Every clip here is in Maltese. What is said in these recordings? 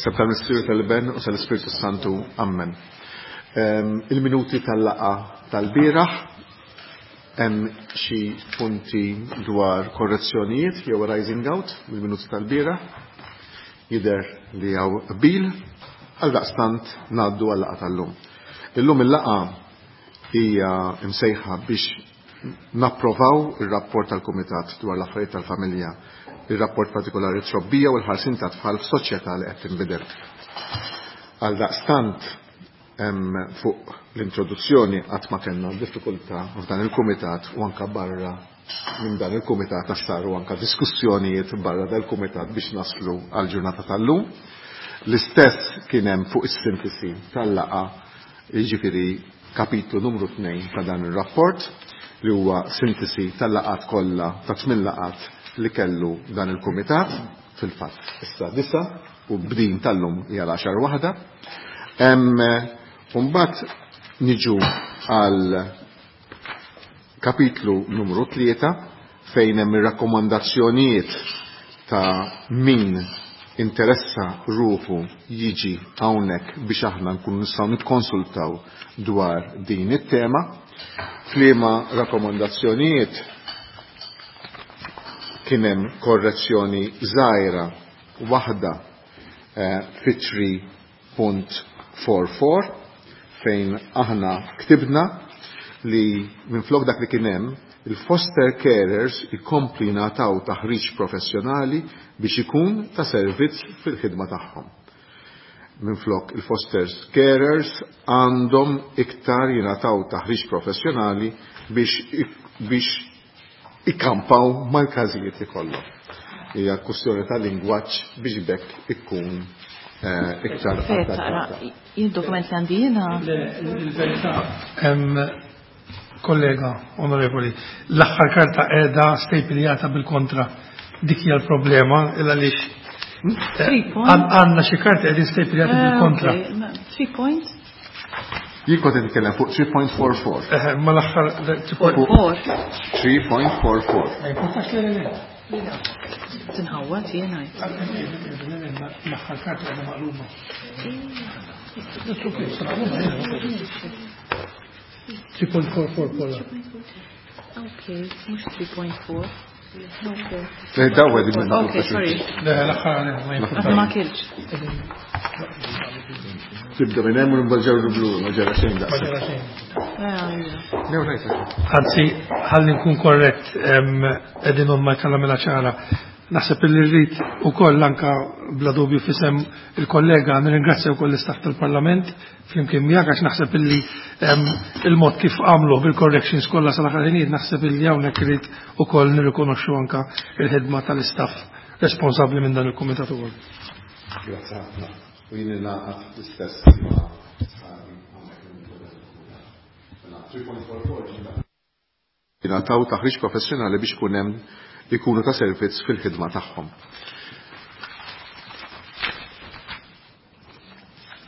F'isem tal-Missier tal-Iben u tal-Ispirtu Santu. Amen. Il-minuti tal-laqa tal-bieraħ hemm xi punti dwar korrezzjonijiet jew rising out mill-minuti tal-bieraħ. Jidher li hawn qbil għal daqstant ngħaddu għal-laqa tal-lum. Illum il-laqa hija msejħa biex napprovaw ir-rapport tal-Kumitat dwar l-affarijiet tal-familja, ir-rapport partikolari trobbija u l-ħarsin ta' tfal f'soċjetà li qed tinbidel. Għal daqstant fuq l-introduzzjoni qatt ma kellna diffikultà f'dan il-kumitat u anka barra minn dan il-kumitat għax saru anka diskussjonijiet barra dal-kumitat biex naslu għal ġurnata tal-lum. L-istess kien hemm fuq is-sintesi tal-laqa jiġifieri kapitlu numru 2 ta' dan ir-rapport li huwa sintesi tal-laqat kollha ta' tmien laqat li kellu dan il-kumitat fil-fatt issa disa u b'din tal-lum hija l-għaxar waħda. Mbagħad niġu għal kapitlu numru 3 fejn hemm ir-rakkomandazzjonijiet ta' min interessa ruħu jiġi hawnhekk biex aħna nkunu nistgħu nikkonsultaw dwar din it-tema. F'liema rakkomandazzjonijiet kien hemm korrezzjoni żgħira waħda fi 3.44 fejn aħna ktibna li minflok dak li kien hemm il-foster carers ikompli jingħataw taħriġ professjonali biex ikun ta' servizz fil-ħidma tagħhom. Minflok il-foster carers għandhom iktar jingħataw taħriġ professjonali biex ikkampaw mal-każijiet li kollhom. Hija kwestjoni ta' lingwaġġ biex bekk ikun iktar adattata. Il-dokument li għandi jiena. Il-verità kollega onorevoli, l-aħħar karta qiegħda stejpiljata bil-kontra. Dik hija l-problema il għaliex għandna xi karti qegħdin stejpiljati bil-kontra. 3 point? Jien kont qed nitkellem fuq 3.44. Ma l-aħħar 3.44. 3.44. Ma jimportax li le. Tinħawwad jiena. L-aħħar karta qiegħda maqluba. 3.44 kolla. Ok, mhux 3.4. Le, daw għedin minn Ok, sorry. Le, l-aħħar ma jimportax. Ma kilx. Tibda minn hemm u mbagħad ġew blu, ma ġara xejn Ma daqs. ġara xejn. Anzi, Anzi, ħalli nkun korrett, qegħdin ma jkalla mela ċara. Naħseb li rrid ukoll anka bla dubju fisem il-kollega nirringrazzja wkoll l-istaff tal-Parlament flimkien miegħek għax naħseb illi il-mod kif għamlu bil-corrections kollha sal-aħħar ħinijiet naħseb illi hawnhekk irid ukoll nirrikonoxxu anka il-ħidma tal-istaff responsabbli minn dan il-kumitat ukoll. Grazzi ħafna. U jien ingħaqad l-istess ma' sħabi hawnhekk mill-kumitat. Jingħataw taħriġ professjonali biex ikun hemm ikunu ta' servizz fil-ħidma tagħhom.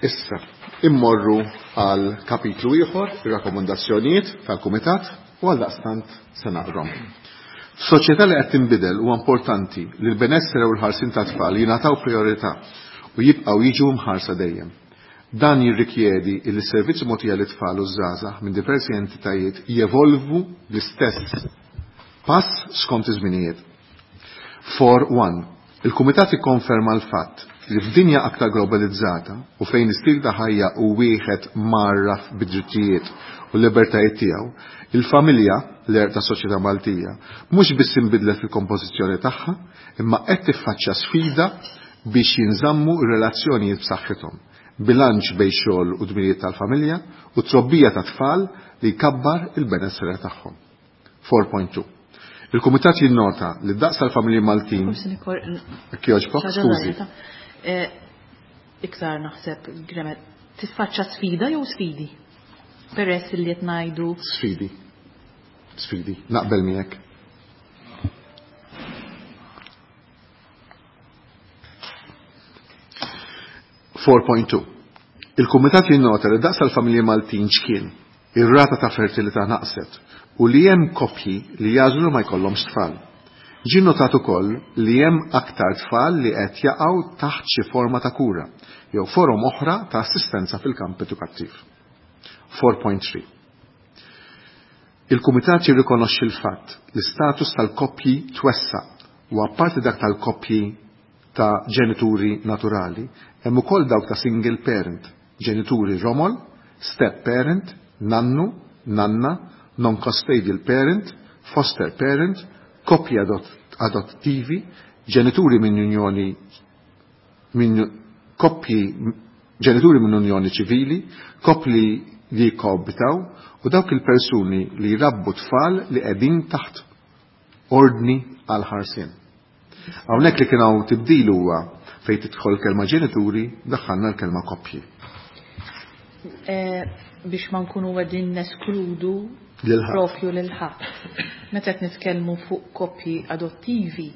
Issa, immorru għal kapitlu ieħor, ir-rakkomandazzjonijiet tal-Kumitat u għal daqstant se naqrom. F'soċjetà li qed tinbidel huwa importanti li l-benessere u l-ħarsin tat-tfal jingħataw priorità u jibqgħu jiġu mħarsa dejjem. Dan jirrikjedi li s-servizzi mogħtija lit-tfal u żgħażagħ minn diversi entitajiet jevolvu l-istess pass skont iż-żminijiet. 4.1. Il-Kumitat ikkonferma l-fatt li f'dinja aktar globalizzata u fejn istil ta' ħajja u wieħed marraf bid-drittijiet u l-libertajiet tiegħu, il-familja, l-għerq tas-soċjetà Maltija, mhux biss inbidlet fil-kompożizzjoni tagħha, imma qed tiffaċċja sfida biex jinżammu r-relazzjonijiet b'saħħithom, bilanċ bejn xogħol u dmirijiet tal-familja u trobbija ta' tfal li jkabbar il-benessere tagħhom. 4.2. Il-Kumitat jinnota li d-daqs tal-familji Maltin. Kjoġbok, skużi. Iktar naħseb, Gremet, tiffaċċa sfida jew sfidi? Peress li qed ngħidu. Sfidi. Sfidi. Naqbel miegħek. 4.2. Il-Kumitat jinnota li daqs tal-familji Maltin x'kien, ir-rata ta' fertilità naqset u li hemm koppji li jażlu ma jkollhomx tfal. Ġie notat ukoll li hemm aktar tfal li qed jaqgħu taħt xi forma ta' kura jew forom oħra ta' assistenza fil-kamp edukattiv. 4.3. Il-Kumitat jirrikonoxxi l-fatt li status tal-koppji twessa' u apparti dak tal-koppji ta' ġenituri naturali, hemm ukoll dawk ta' single parent, ġenituri romol, step parent, nannu, nanna, non-custodial parent, foster parent, koppji adottivi, ġenituri minn unjoni minn koppji ġenituri minn unjoni ċivili, koppji li jikkoabitaw u dawk il-persuni li jrabbu tfal li qegħdin taħt ordni għal ħarsien. Hawnhekk li kien hawn tibdil huwa fejn tidħol kelma ġenituri daħħalna l-kelma koppji. Biex ma nkunu qegħdin neskludu propju lil ħadd. Meta qed nitkellmu fuq koppji adottivi,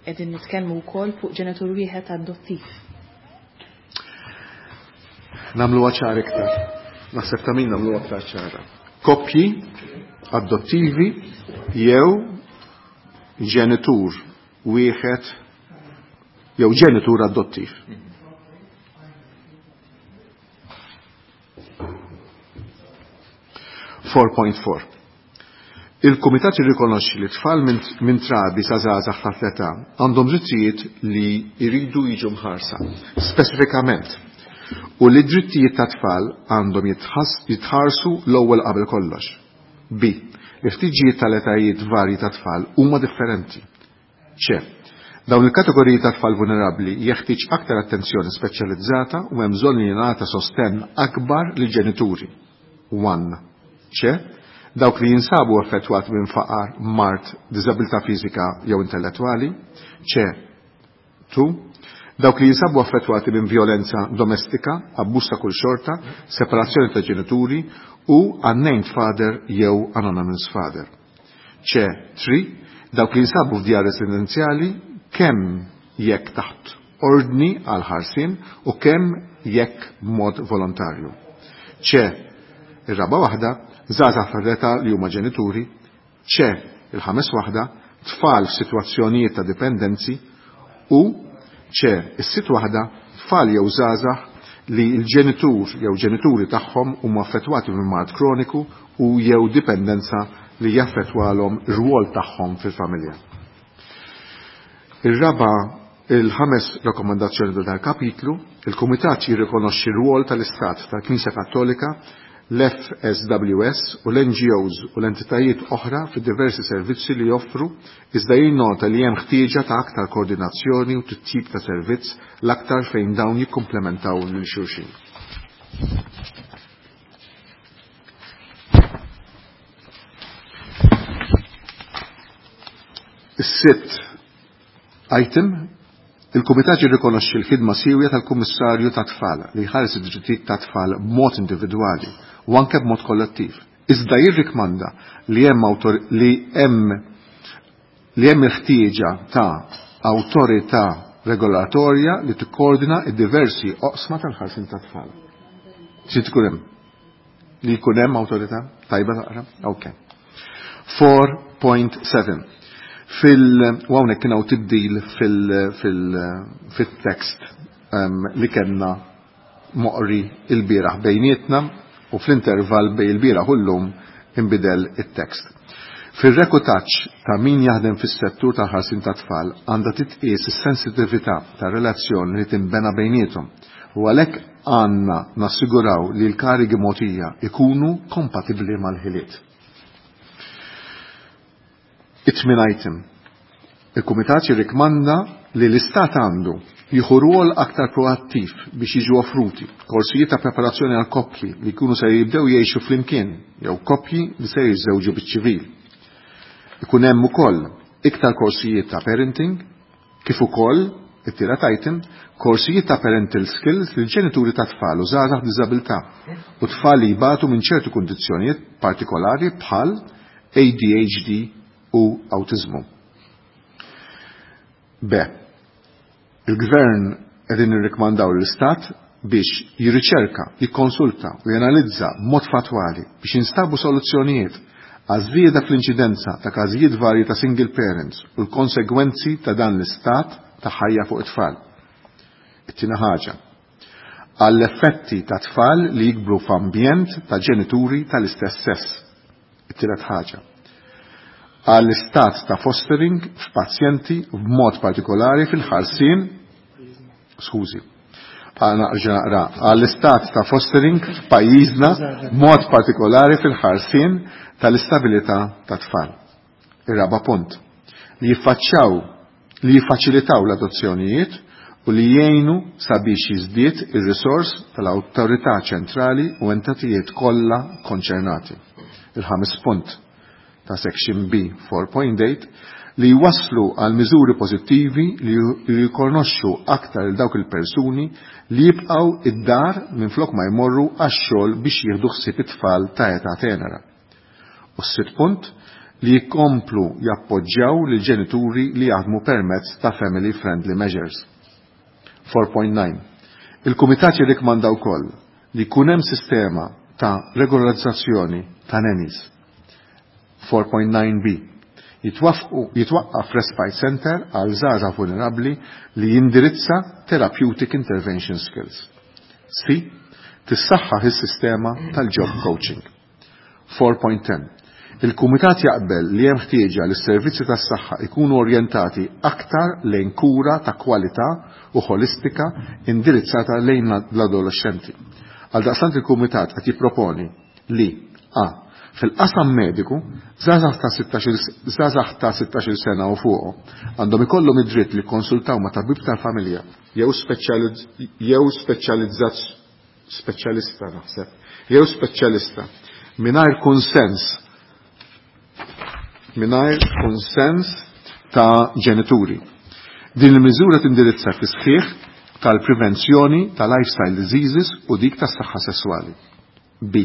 qegħdin nitkellmu wkoll fuq ġenitur wieħed adottiv. Nagħmluha ċara iktar. Naħseb ta' min nagħmluha aktar ċara. Koppji adottivi jew ġenitur wieħed jew ġenitur adottiv. 4.4. Il-Kumitat jirrikonoxxi li tfal minn trabi sa żgħażagħ ta' l-età għandhom drittijiet li jridu jiġu mħarsa, speċifikament, u li drittijiet ta' tfal għandhom jitħarsu l-ewwel qabel kollox. B. Il-ħtiġijiet tal-etajiet varji ta' tfal huma differenti. C. Dawn il-kategoriji ta' tfal vulnerabbli jeħtieġ aktar attenzjoni speċjalizzata u hemm bżonn li jingħata sostenn akbar lill-ġenituri. 1. C. Dawk li jinsabu affettwati minn faqar, mard, diżabilità fiżika jew intellettwali. C. 2. Dawk li jinsabu affettwati minn violenza domestika, abbuż ta' kull xorta, separazzjoni ta' ġenituri u unnamed father jew anonymous father. C. 3. Dawk li jinsabu f'djar residenzjali kemm jekk taħt ordni għal ħarsien u kemm jekk b'mod volontarju. C. Ir-raba' waħda, żgħażagħ fl-età li huma ġenituri. C. Il-ħames waħda, tfal f'sitwazzjonijiet ta' dipendenzi u C. Is-sitt waħda, tfal jew żgħażagħ li l-ġenitur jew ġenituri tagħhom huma affettwati minn mard kroniku u jew dipendenza li jaffettwalhom ir-rwol tagħhom fil-familja. Ir-raba' il-ħames rakkomandazzjoni ta' dal-kapitlu, il-Kumitat jirrikonoxxi r-rwol tal-Istat tal-Knisja Kattolika, l-FSWS u l-NGOs u l-entitajiet oħra fi diversi servizzi li joffru, iżda jinnota li hemm ħtieġa ta' aktar koordinazzjoni u titjib ta' servizz l-aktar fejn dawn jikkumplementaw lil xulxin. Is-sitt item, il-Kumitat jirrikonoxxi l-ħidma siewja tal-Kummissarju tat-Tfal li jħares id-drittijiet tat-tfal b'mod individwali u anke b'mod kollettiv. Iżda jirrikmanda li hemm li hemm il-ħtieġa ta' awtorità regolatorja li tikkoordina d-diversi oqsma tal-ħarsien tat-tfal. Xi tkun hemm? Li jkun hemm awtorità? Tajba taqra? Okay. 4.7. U hawnhekk kien hawn tibdil fit-tekst li kellna moqri il-bieraħ bejnietna u fl-intervall bejn il-bieraħ u llum inbidel it-tekst. Fir-reklutaġġ ta' min jaħdem fis-settur tal-ħarsien tat-tfal għandha titqies is-sensitività tar-relazzjoni li tinbena bejniethom u għalhekk għandna nassiguraw li l-karigi mogħtija ikunu kompatibbli mal-ħiliet. It-tmien item. Il-Kumitat jirrikmanda li l-Istat għandu jieħu rwol aktar proattiv biex jiġu offruti korsijiet ta' preparazzjoni għal koppji li jkunu se jibdew jgħixu flimkien jew koppji li se jiżżewġu biċ-ċivil. Ikun hemm ukoll iktar korsijiet ta' parenting, kif ukoll it-tielet item, korsijiet ta' parental skills lil ġenituri ta' tfal u żgħażagħ b'diżabilità u tfal li jbatu minn ċertu kundizzjonijiet partikolari bħal ADHD u awtiżmu. B. Il-Gvern qegħdin nirrikmandaw l-Istat biex jirriċerka, jikkonsulta u janalizza b'mod fatwali biex jinstabu soluzzjonijiet Għaż-żieda fl-inċidenza ta' każijiet varji ta' single parents u l-konsegwenzi ta' dan l-istat ta' ħajja fuq it-tfal. It-tieni ħaġa, għall-effetti ta' tfal li jikbru f'ambjent ta' ġenituri tal-istess sess. It-tielet ħaġa, għall-istat ta' fostering f'pazjenti b'mod partikolari fil-ħarsien, skużi, għall-istat ta' fostering f'pajjiżna b'mod partikolari fil-ħarsien tal-istabilità ta' tfal. Ir-raba' punt, li jiffaċċjaw li jiffaċilitaw l-adozzjonijiet u li jgħinu sabiex jiżdied ir-risors tal-awtorità ċentrali u entitajiet kollha konċernati. Il-ħames punt ta' Section B 4.8 li jwasslu għal miżuri pożittivi li jirrikonoxxu aktar il dawk il-persuni li jibqgħu id-dar minflok ma jmorru għax-xogħol biex jieħdu ħsieb it-tfal ta' età tenera. U s-sitt punt li jkomplu jappoġġjaw lil ġenituri li jaħdmu permezz ta' family friendly measures. 4.9. Il-Kumitat jirrikmanda wkoll li jkun hemm sistema ta' regolarizzazzjoni ta' nannies. 4.9b. Jitwaqqaf respite center għal żgħażagħ vulnerabbli li jindirizza therapeutic intervention skills. C. Tissaħħaħ is-sistema tal-job coaching. 4.10. Il-Kumitat jaqbel li hemm ħtieġa li s-servizzi tas-saħħa ikunu orjentati aktar lejn kura ta' kwalità u ħolistika indirizzata lejn l-adolescenti. Għaldaqstant il-Kumitat qed jipproponi li A. Fil-qasam mediku, żgħażagħ ta' 16 sena u fuq għandhom ikollhom id-dritt li jikkonsultaw ma' tabib tal-familja jew speċjalista naħseb, jew speċjalista mingħajr kunsens ta' ġenituri. Din il-miżura tindirizza fis-sħiħ tal-prevenzjoni ta' lifestyle diseases u dik tas-saħħa sesswali. B.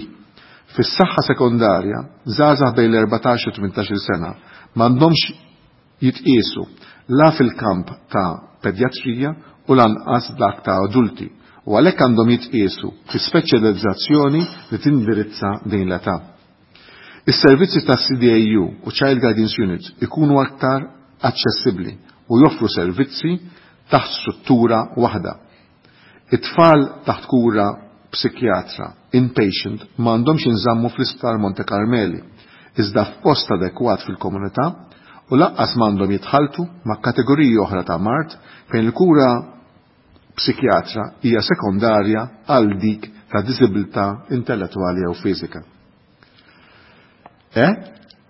Fis-saħħa sekondarja, żgħażagħ bejn l-14 u 18 sena m'għandhomx jitqiesu la fil-kamp ta' pedjatrija u lanqas dak ta' adulti u għalhekk għandhom jitqiesu fi speċjalizzazzjoni li tindirizza din l-età. Is-servizzi ta' CDAU u Child Guidance Units ikunu aktar aċċessibbli u joffru servizzi taħt struttura waħda. It-tfal taħt kura psikjatra inpatient m'għandhomx jinżammu fl-Isptar Monte Carmeli, iżda f'post adekwat fil-komunità u lanqas m'għandhom jitħaltu ma' kategoriji oħra ta' mard fejn il-kura psikjatra hija sekondarja għal dik ta' diżibilità intellettwali jew fiżika. E.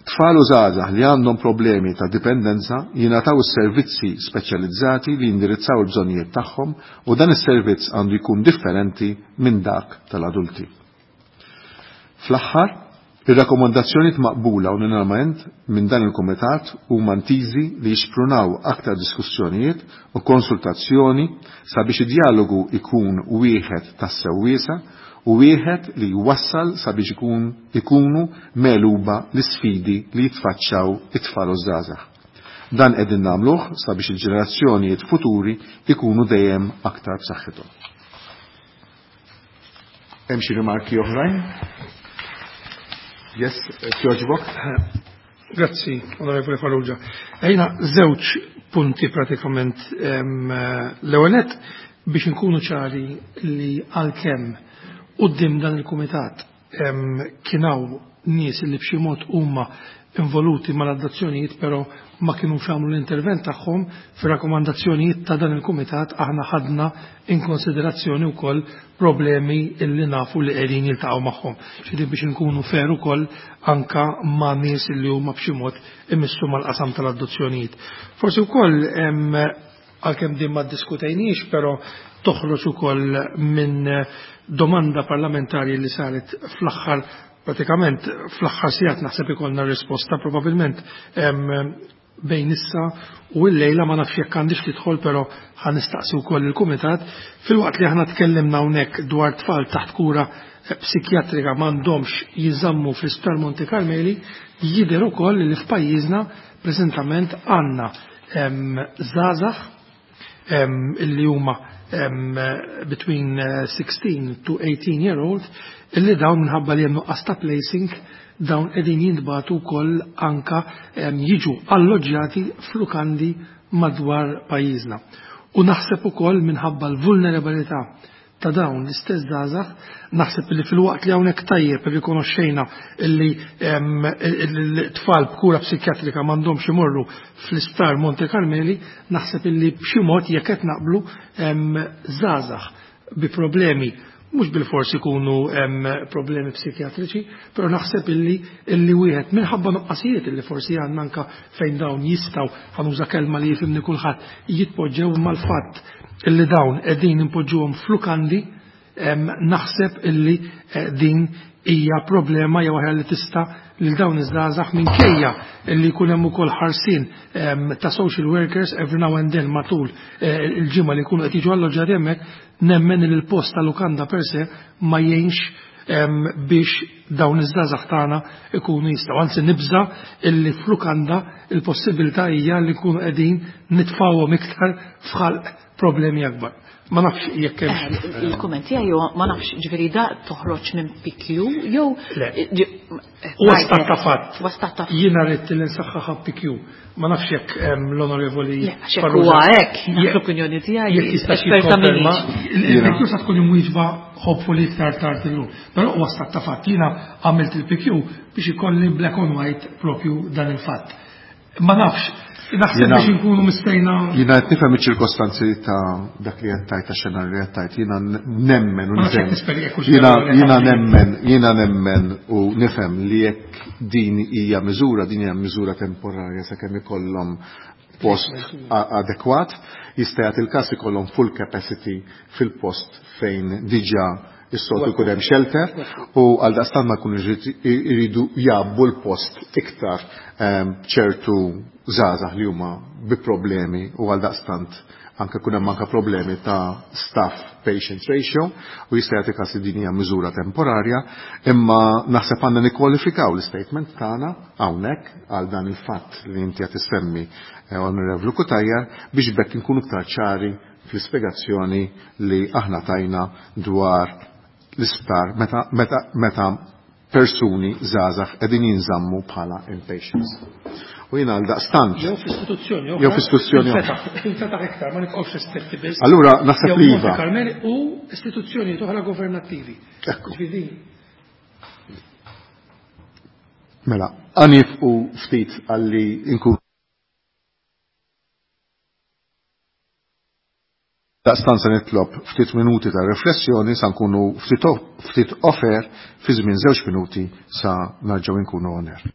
Tfal u żgħażagħ li għandhom problemi ta' dipendenza jingħataw is-servizzi speċjalizzati li jindirizzaw il-bżonnijiet tagħhom u dan is-servizz għandu jkun differenti minn dak tal-adulti. Fl-aħħar, ir-rakkomandazzjonijiet maqbula unanimament minn dan il-Kumitat huma ntiżi li jixprunaw aktar diskussjonijiet u konsultazzjoni sabiex id-dialogu ikun wieħed tassew wiesa' u wieħed li jwassal sabiex ikunu megħluba l-isfidi li jitfaċċaw it-tfal u żgħażagħ. Dan qegħdin nagħmluh sabiex il-ġenerazzjonijiet futuri ikunu dejjem aktar b'saħħithom. Hemm xi rimarki oħrajn? Yes, jogħġbok? Grazzi, Onorevoli Farrugia. Ejna żewġ punti pratikament l-ewwel nett biex inkunu ċari li għalkemm quddiem dan il-kumitat kien hawn nies li b'xi mod huma involuti mal-adozzjonijiet però ma kinux għamlu l-intervent tagħhom fir-rakkomandazzjonijiet ta' dan il-kumitat aħna ħadna in konsiderazzjoni wkoll problemi illi nafu li qegħdin jiltaqgħu magħhom. Ġifieri biex inkunu fair ukoll anka ma' nies li huma b'xi mod imissu mal-qasam tal-adozzjonijiet. Forsi wkoll għalkemm din ma ddiskutejniex, però toħroġ ukoll minn domanda parlamentari li saret fl-aħħar pratikament fl-aħħar sigħat naħseb ikollna risposta probabbilment bejn issa u l-lejla ma nafx jekk għandix tidħol però ħa nistaqsi wkoll il-kumitat filwaqt li aħna tkellimna hawnhekk dwar tfal taħt kura psikjatrika m'għandhomx jinżammu fl-Isptar Monte Carmeli jidher ukoll li f'pajjiżna preżentament għandna żgħażagħ illi huma between 16 to 18 year old illi dawn minħabba li hemm nuqqas ta' placing. dawn qegħdin jintbagħtu wkoll anka jiġu alloġġjati f'lukandi madwar pajjiżna. U naħseb ukoll minħabba l-vulnerabilità ta' dawn l-istess żgħażagħ, naħseb li filwaqt li hawnhekk tajjeb irrikonoxxejna li l-tfal b'kura psikjatrika m'għandhomx imorru fl-isptar Monte Carmeli, naħseb illi b'xi mod jekk qed naqblu żgħażagħ bi problemi mhux bil-forsi jkunu problemi psikjatriċi, però naħseb illi wieħed minħabba nuqqasijiet illi forsi għandna anka fejn dawn jistgħu, ħanuża kelma li jifhimni kulħadd, jitpoġġew mal-fatt illi dawn qegħdin impoġġuhom f'lukandi, naħseb illi din hija problema jew aħjar li tista' lil dawn iż-żgħażagħ minkejja illi jkun hemm ukoll ħarsien ta' social workers every now and then matul il-ġimgħa li jkunu qed jiġu alloġġjati hemmhekk, nemmen li l-post ta' lukanda per se ma jgħinx biex dawn iż-żgħażagħ tagħna ikunu jistgħu. Anzi nibża illi f'lukanda il-possibilità hija li nkunu qegħdin nitfgħuhom iktar f'ħalq problemi akbar. Ma nafx jekk hemmx. Il-kumment tiegħi huwa ma nafx, ġifieri da toħroġ minn PQ jew Le. Huwa stat ta' fatt. Huwa stat ta' fatt. Jiena rrid li nsaħħaħ PQ. Ma nafx jekk l-onorevoli Le, għax jekk Farrugia huwa hekk, Jekk l-opinjoni tiegħi jekk jistax esperta jikkonferma, minix. il-PQ sa tkun imwieġba hopefully iktar tard illum. Però huwa stat ta' fatt. Jiena għamilt il-PQ biex ikolli black on white propju dan il-fatt. Ma nafx, naħseb biex inkunu mistejna. Jiena qed nifhem iċ-ċirkostanzi ta' dak li qed tgħid, tax-xenarju li qed tgħid, jiena nemmen u Ma nafx nifhem. jekk nisperi jekk hux veru li qed Jiena nemmen u nifhem li jekk din hija miżura, din hija miżura temporarja sakemm ikollhom post adekwat, jista' jagħti il-każ ikollhom full capacity fil-post fejn diġà is-soltu jkun hemm shelter u għal daqstant ma jkunux iridu jgħabbu l-post iktar ċertu żgħażagħ li huma bi problemi u għal daqstant anke kun hemm anke problemi ta' staff patient ratio u jista' jagħti każ li din hija miżura temporarja, imma naħseb għandna nikkwalifikaw l-istatement tagħna hawnhekk għal dan il-fatt li inti qed issemmi Onorevoli Cutajar biex bekk inkunu iktar ċari fl-ispjegazzjoni li aħna tajna dwar l-isptar meta persuni żgħażagħ qegħdin jinżammu bħala inpatients. U jiena għal daqstant. Jew f'istituzzjoni oħra. Jew f'istituzzjoni oħra. Tinfetaħ iktar, ma nibqgħux ristretti biss. Allura naħseb Jew li Monte iva. Carmeli u istituzzjoni oħra governattivi. Ekku. Ġifieri. Mela, għanifqu ftit għalli inkun Daqstan se nitlob ftit minuti ta' riflessjoni sa nkunu ftit ofer fi żmien 2 minuti sa narġgħu nkunu on air.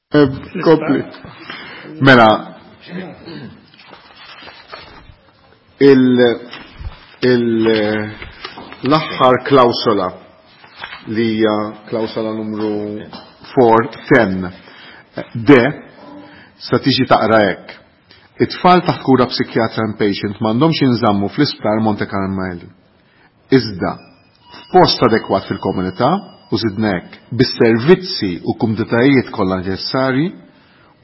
Kompli. Mela, l-aħħar klawsola li hija klawsola numru 410 D sa tiġi taqra hekk. It-tfal taħt kura psikjatra inpatient m'għandhomx jinżammu fl-isptar Monte Carmeli. Iżda, f'post adekwat fil-komunità u żidna hekk bis-servizzi u kumditajiet kollha neċessarji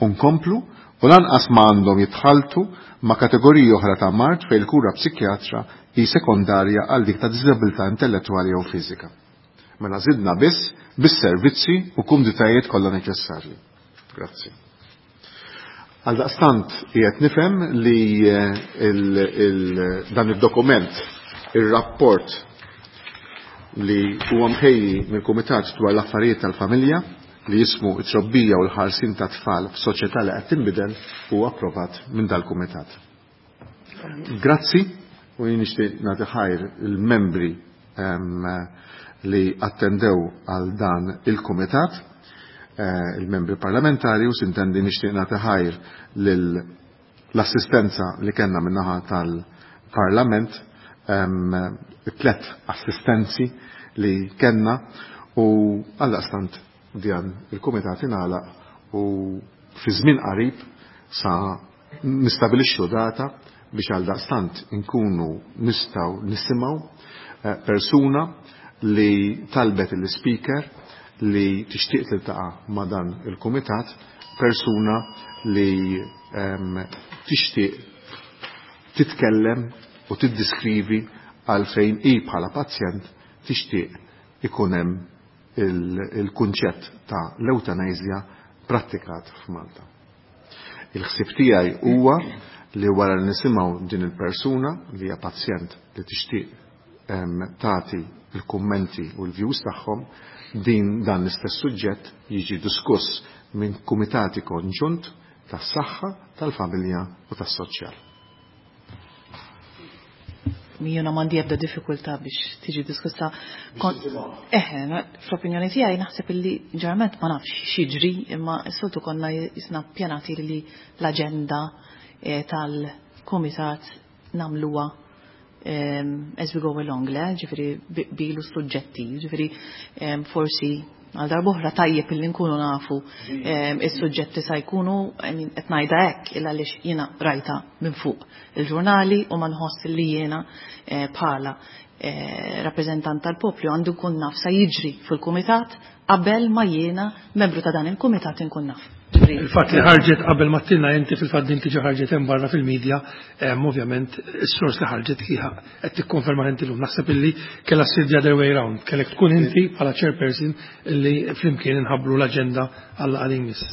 u nkomplu u lanqas ma għandhom jitħalltu ma' kategoriji oħra ta' mard fejn il-kura psikjatra hi sekondarja għal dik ta' diżabilità intellettwali jew fiżika. Mela żidna biss bis-servizzi u kumditajiet kollha neċessarji. Grazzi. Għaldaqstant qiegħed nifhem li dan id-dokument, ir-rapport li huwa mħejji mill-Kumitat dwar l-Affarijiet tal-Familja li jismu it-trobbija u l-ħarsin ta' tfal f'soċjetà li qed tinbidel huwa approvat minn dal-Kumitat. Grazzi u jien nixtieq nagħti ħajr il-membri li attendew għal dan il-Kumitat, il-membri parlamentari, u sintendi nixtieq nagħti ħajr l-assistenza li kellna min-naħa tal-Parlament, tlet assistenzi li kellna, u għaldaqstant dan il-Kumitat ingħalaq u fi żmien qarib sa nistabilixxu data biex għaldaqstant inkunu nistgħu nisimgħu persuna li talbet il-speaker li tixtieq tiltaqa' ma' dan il-kumitat, persuna li tixtieq titkellem u tiddiskrivi għalfejn hi bħala pazjent tixtieq ikun hemm il-kunċett ta' l-eutanasja prattikat f'Malta. Il-ħsieb tiegħi huwa li wara li nisimgħu din il-persuna li hija pazjent li tixtieq tagħti il-kummenti u l-views tagħhom, din dan l-istess suġġett jiġi diskuss minn kumitati konġunt tas-saħħa, tal-familja u tas-soċjal. Jiena m'għandi ebda diffikultà biex tiġi diskussa. Eħe, fl-opinjoni tiegħi naħseb illi ġeneralment ma nafx x'jiġri, imma s-soltu konna jisna pjanati li l-aġenda tal-kumitat nagħmluha as we go along, le, ġifieri bilu suġġetti, ġifieri forsi għal darb'oħra tajjeb illi nkunu nafu is-suġġetti sa jkunu, qed ngħidha hekk illa għaliex jiena rajta minn fuq il-ġurnali u ma nħoss li jiena bħala rappreżentant tal-poplu għandu nkun naf sa jiġri fil-kumitat qabel ma jiena membru ta' dan il-kumitat inkun naf. Il-fatt li ħarġet qabel ma tilna inti fil-fatt din tiġi ħarġet hemm barra fil-medja, ovvjament is-sors li ħarġet hija qed tikkonferma inti llum. Naħseb illi kellha ssir the other way round, kellek tkun inti bħala chairperson illi flimkien inħabbru l-aġenda għal għal imiss.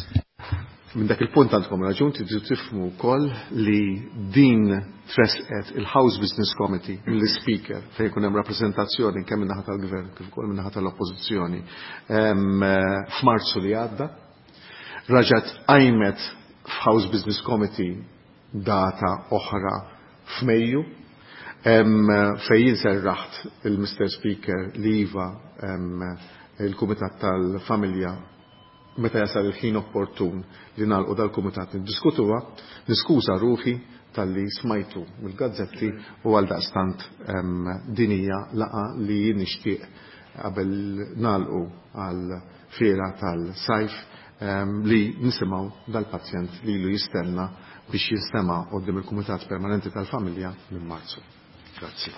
Minn dak il-punt għandkom raġun, tridu tifhmu wkoll li din tresqet il-House Business Committee mill-Speaker fejn jkun hemm rappreżentazzjoni kemm min-naħa tal-Gvern kif ukoll min-naħa tal-Oppożizzjoni f'Marzu li għadda. Raġat qajmet f'House Business Committee data oħra f'Mejju, fejn jien serraħt il-Mr. Speaker li iva il-Kumitat tal-Familja meta jasal il-ħin opportun li nagħlqu dal-kumitat niddiskutuha, niskuża ruħi talli smajtu mill-gazzetti u għal daqstant din hija laqgħa li jien nixtieq qabel nagħlqu għal fiera tal-sajf li nisimgħu dal-pazjent li ilu jistenna biex jinstema' quddiem il-Kumitat Permanenti tal-Familja minn Marzu. Grazzi.